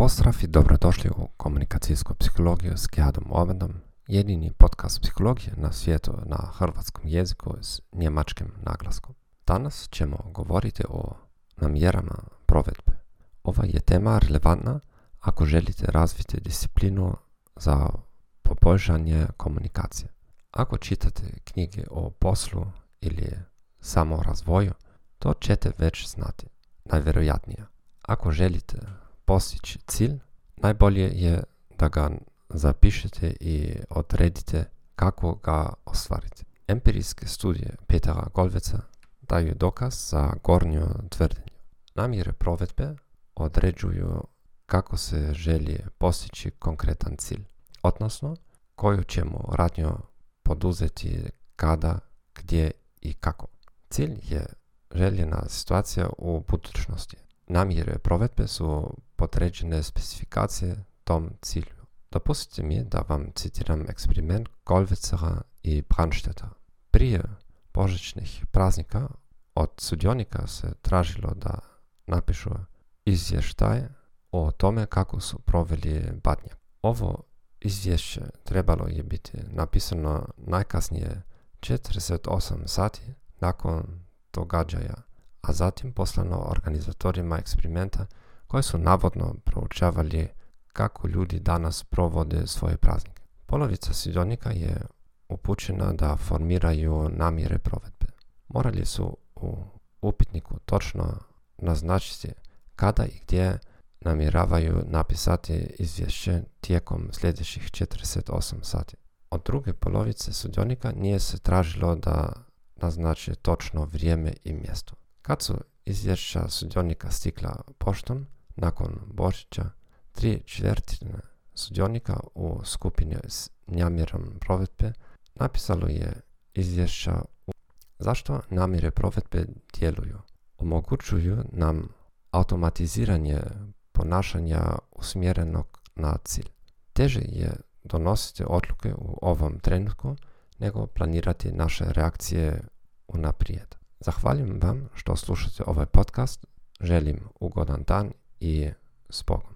Pozdrav i dobrodošli u komunikacijsku psihologiju s Gerhardom Orbandom, jedini podcast psihologije na svijetu na hrvatskom jeziku s njemačkim naglaskom. Danas ćemo govoriti o namjerama provedbe. Ova je tema relevantna ako želite razviti disciplinu za poboljšanje komunikacije. Ako čitate knjige o poslu ili samorazvoju, to ćete već znati, najvjerojatnije. Ako želite postići cilj, najbolje je da ga zapišete i odredite kako ga ostvariti. Empirijske studije Petera Golveca daju dokaz za gornju tvrdnju. Namjere provedbe određuju kako se želi postići konkretan cilj, odnosno koju ćemo radnju poduzeti kada, gdje i kako. Cilj je željena situacija u budućnosti. Namjere provedbe su podređene specifikacije tom cilju. Dopustite mi da vam citiram eksperiment Golvecera i Brandstätter. Prije božićnih praznika od sudionika se tražilo da napišu izvještaj o tome kako su proveli Badnjak. Ovo izvješće trebalo je biti napisano najkasnije 48 sati nakon događaja, a zatim poslano organizatorima eksperimenta koji su navodno proučavali kako ljudi danas provode svoje praznike. Polovica sudionika je upućena da formiraju namjere provedbe. Morali su u upitniku točno naznačiti kada i gdje namjeravaju napisati izvješće tijekom sljedećih 48 sati. Od druge polovice sudionika nije se tražilo da naznači točno vrijeme i mjesto. Kad su izvješća sudionika stigla poštom, nakon Božića, 3/4 sudionika u skupini s namjerom provedbe napisalo je izvješća. Zašto namjere provedbe djeluju? Omogućuju nam automatiziranje ponašanja usmjerenog na cilj. Teže je donositi odluke u ovom trenutku nego planirati naše reakcije unaprijed. Zahvaljujem vam što slušate ovaj podcast, želim ugodan dan i s Bogom.